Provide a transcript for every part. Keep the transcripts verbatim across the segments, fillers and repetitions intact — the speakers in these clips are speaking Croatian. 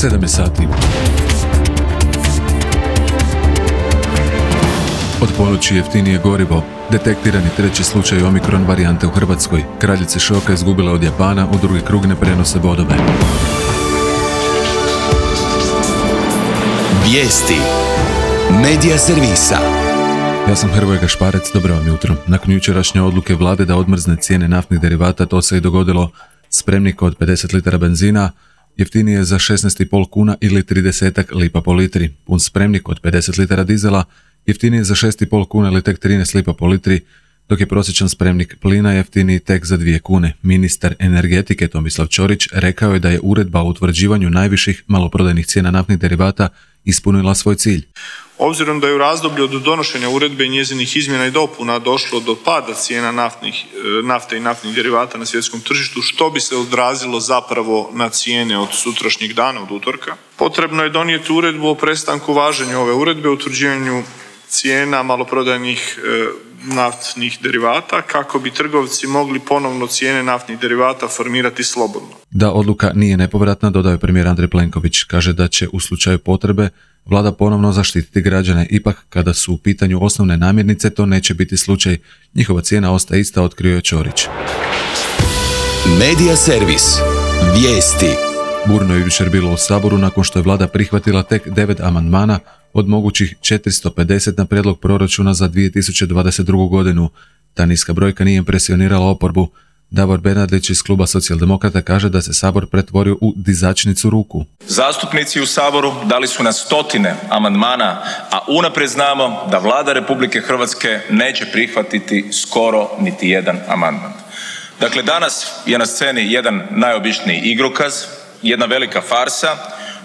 sedam je sati. Od ponoći jeftinije gorivo. Detektirani treći slučaj omikron varijante u Hrvatskoj. Kraljice šoka izgubila od Japana, u drugi krug ne prenose bodove. Vijesti Medija servisa. Ja sam Hrvoje Gašparec, dobro vam jutro. Nakon jučerašnje odluke vlade da odmrzne cijene naftnih derivata, to se i dogodilo. Spremnik od pedeset litara benzina jeftinije je za šesnaest i pol kuna ili trideset lipa po litri. Pun spremnik od pedeset litara dizela jeftinije je za šest i pol kuna ili tek trinaest lipa po litri, dok je prosječan spremnik plina jeftiniji tek za dvije kune. Ministar energetike Tomislav Ćorić rekao je da je uredba o utvrđivanju najviših maloprodajnih cijena naftnih derivata ispunila svoj cilj. Obzirom da je u razdoblju od donošenja uredbe i njezinih izmjena i dopuna došlo do pada cijena naftnih, nafte i naftnih derivata na svjetskom tržištu, što bi se odrazilo zapravo na cijene od sutrašnjeg dana, od utorka, potrebno je donijeti uredbu o prestanku važenja ove uredbe o utvrđivanju cijena maloprodajnih e, naftnih derivata kako bi trgovci mogli ponovno cijene naftnih derivata formirati slobodno. Da odluka nije nepovratna, dodao je premijer Andrej Plenković. Kaže da će u slučaju potrebe vlada ponovno zaštititi građane. Ipak, kada su u pitanju osnovne namirnice, to neće biti slučaj. Njihova cijena ostaje ista, otkrio je Ćorić. Medija servis. Vijesti. Burno je jučer bilo u Saboru nakon što je vlada prihvatila tek devet amandmana od mogućih četiristo pedeset na prijedlog proračuna za dvije tisuće dvadeset drugu. godinu. Ta niska brojka nije impresionirala oporbu. Davor Bernardić iz kluba Socijaldemokrata kaže da se Sabor pretvorio u dizačnicu ruku. Zastupnici u Saboru dali su na stotine amandmana, a unaprijed znamo da Vlada Republike Hrvatske neće prihvatiti skoro niti jedan amandman. Dakle, danas je na sceni jedan najobičniji igrokaz, jedna velika farsa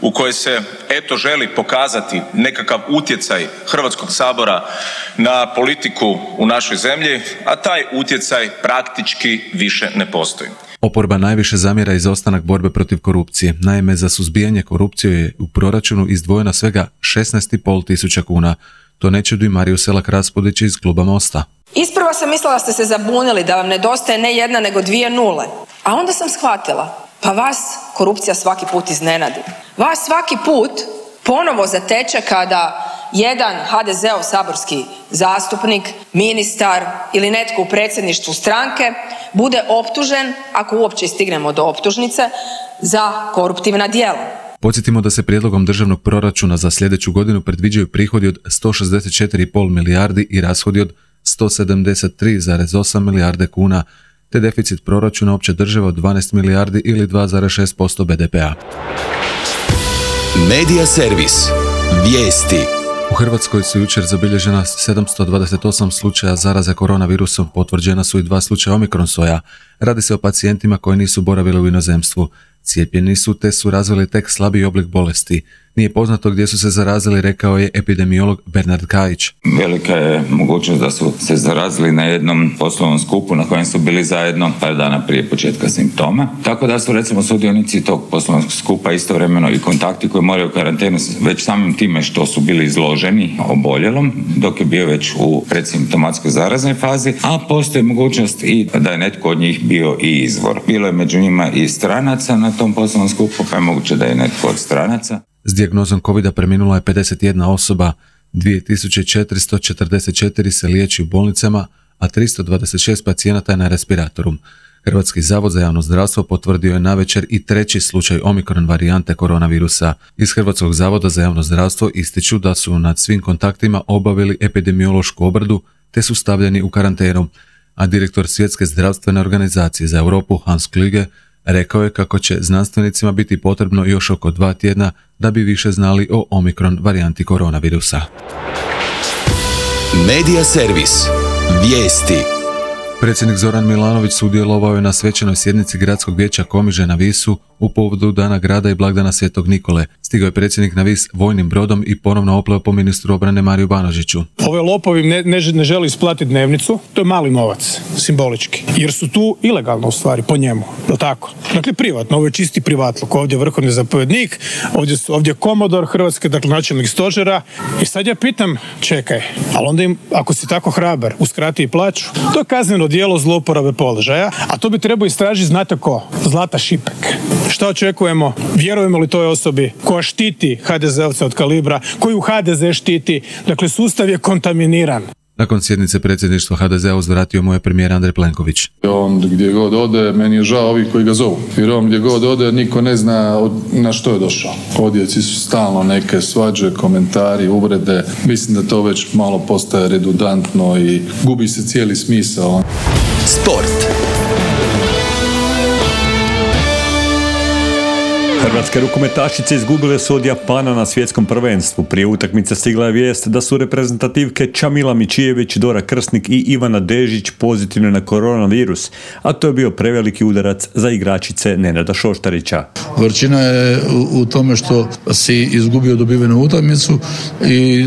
u kojoj se eto želi pokazati nekakav utjecaj Hrvatskog sabora na politiku u našoj zemlji, a taj utjecaj praktički više ne postoji. Oporba najviše zamjera izostanak borbe protiv korupcije. Naime, za suzbijanje korupcije je u proračunu izdvojeno svega šesnaest i pol tisuća kuna. To ne čudi Mariju Selak Raspudić iz kluba Mosta. Isprva sam mislila da ste se zabunili, da vam nedostaje ne jedna nego dvije nule. A onda sam shvatila, pa vas korupcija svaki put iznenadi. Vas svaki put ponovo zateče kada jedan ha de zeov saborski zastupnik, ministar ili netko u predsjedništvu stranke bude optužen, ako uopće stignemo do optužnice, za koruptivna djela. Podsjetimo da se prijedlogom državnog proračuna za sljedeću godinu predviđaju prihodi od sto šezdeset četiri i pol milijardi i rashodi od sto sedamdeset tri zarez osam milijarde kuna, te deficit proračuna opće države od dvanaest milijardi ili dva zarez šest posto be de pea. Medija servis. Vijesti. U Hrvatskoj su jučer zabilježena sedamsto dvadeset osam slučaja zaraze koronavirusom, potvrđena su i dva slučaja omikron soja. Radi se o pacijentima koji nisu boravili u inozemstvu. Cijepljeni su te su razvili tek slabiji oblik bolesti. Nije poznato gdje su se zarazili, rekao je epidemiolog Bernard Kajić. Velika je mogućnost da su se zarazili na jednom poslovnom skupu na kojem su bili zajedno par dana prije početka simptoma. Tako da su recimo sudionici tog poslovnog skupa istovremeno i kontakti koji moraju karantenu već samim time što su bili izloženi oboljelom dok je bio već u predsimptomatskoj zaraznoj fazi, a postoji mogućnost i da je netko od njih bio i izvor. Bilo je među njima i stranaca na tom poslovnom skupu, pa je moguće da je netko od stranaca. S dijagnozom covida preminula je pedeset jedna osoba, dvije tisuće četiristo četrdeset četiri se liječi u bolnicama, a tristo dvadeset šest pacijenata je na respiratoru. Hrvatski zavod za javno zdravstvo potvrdio je navečer i treći slučaj omikron varijante koronavirusa. Iz Hrvatskog zavoda za javno zdravstvo ističu da su nad svim kontaktima obavili epidemiološku obradu te su stavljeni u karantenu, a direktor Svjetske zdravstvene organizacije za Europu Hans Kluge rekao je kako će znanstvenicima biti potrebno još oko dva tjedna da bi više znali o omikron varijanti koronavirusa. Medija servis. Vijesti. Predsjednik Zoran Milanović sudjelovao je na svečanoj sjednici Gradskog vijeća Komiže na Visu u povodu Dana grada i blagdana Svetog Nikole. Stigao je predsjednik na Vis vojnim brodom i ponovno opleo po ministru obrane Mariju Banožiću. Ove lopovi ne, ne, ne želi isplatiti dnevnicu, to je mali novac, simbolički, jer su tu ilegalno u stvari po njemu, je tako? Dakle, privatno, ovo je čisti privatluk, ovdje je vrhovni zapovjednik, ovdje, ovdje je komodor Hrvatske, dakle načelnik stožera i sad ja pitam, čekaj, ali onda im, ako si tako hrabar, uskrati i plaću, to je kazneno djelo zlouporabe položaja, a to bi trebao istražiti, znate ko? Zlata Šipek. Šta očekujemo? Vjerujemo li toj osobi koja štiti ha de zeovce od kalibra, koju ha de ze štiti? Dakle, sustav je kontaminiran. Nakon sjednice predsjedništva ha de zea uzvratio mu je premijer Andrej Plenković. On gdje god ode, meni je žao ovih koji ga zovu. Jer on gdje god ode, niko ne zna na što je došao. Odjeci su stalno neke svađe, komentari, uvrede. Mislim da to već malo postaje redundantno i gubi se cijeli smisao. Sport. Hrvatske rukometašice izgubile su od Japana na svjetskom prvenstvu. Prije utakmice stigla je vijest da su reprezentativke Čamila Mičijević, Dora Krsnik i Ivana Dežić pozitivne na koronavirus, a to je bio preveliki udarac za igračice Nenada Šoštarića. Gorčina je u, u tome što si izgubio dobivenu utakmicu i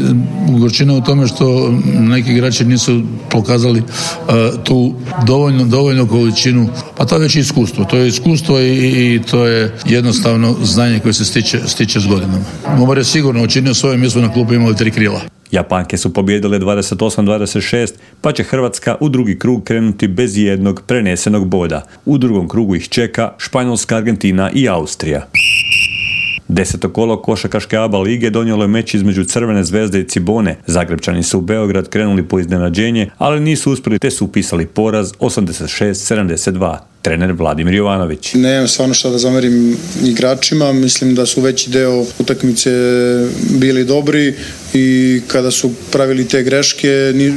gorčina u tome što neki igrači nisu pokazali uh, tu dovoljno, dovoljnu količinu, pa to je već iskustvo. To je iskustvo i, i to je jednostavno znanje koje se stiče, stiče s godinama. Momor je sigurno učinio svoje mjesto na klubu, imali tri krila. Japanke su pobijedile dvadeset osam dvadeset šest, pa će Hrvatska u drugi krug krenuti bez jednog prenesenog boda. U drugom krugu ih čeka Španjolska, Argentina i Austrija. Deseto kolo košarkaške A B A lige donijelo je meč između Crvene zvezde i Cibone. Zagrebčani su u Beograd krenuli po iznenađenje, ali nisu uspjeli te su upisali poraz osamdeset šest sedamdeset dva. Trener Vladimir Jovanović. Nemam stvarno šta da zamerim igračima, mislim da su veći deo utakmice bili dobri i kada su pravili te greške,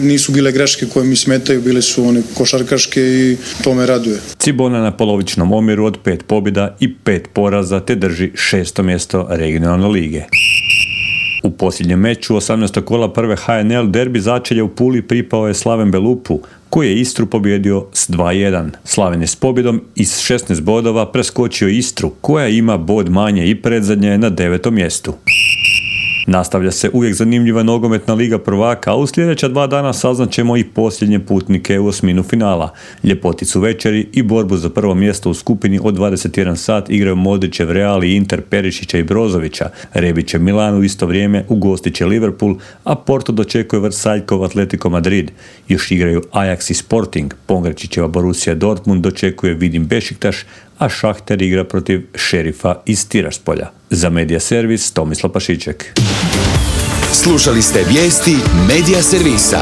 nisu bile greške koje mi smetaju, bile su one košarkaške i to me raduje. Cibona na polovičnom omjeru od pet pobjeda i pet poraza te drži šesto mjesto regionalne lige. U posljednjem meču osamnaestog kola prve ha en el derbi začelja u Puli pripao je Slaven Belupu, koji je Istru pobjedio s dva jedan. Slaven je s pobjedom iz šesnaest bodova preskočio Istru, koja ima bod manje i predzadnja je na devetom mjestu. Nastavlja se uvijek zanimljiva nogometna liga prvaka, a u sljedeća dva dana saznaćemo i posljednje putnike u osminu finala. Ljepoticu večeri i borbu za prvo mjesto u skupini od dvadeset jedan sat igraju Modrićev Real i Inter Perišića i Brozovića. Rebić je Milan u isto vrijeme, ugostit će Liverpool, a Porto dočekuje Vrsaljkov Atletico Madrid. Još igraju Ajax i Sporting, Pongrečićeva Borussia Dortmund dočekuje Vidim Bešiktaš, a Šahter igra protiv Šerifa iz Tiraspolja. Za Medija Servis, Tomislav Pašiček. Slušali ste vijesti Medija Servisa.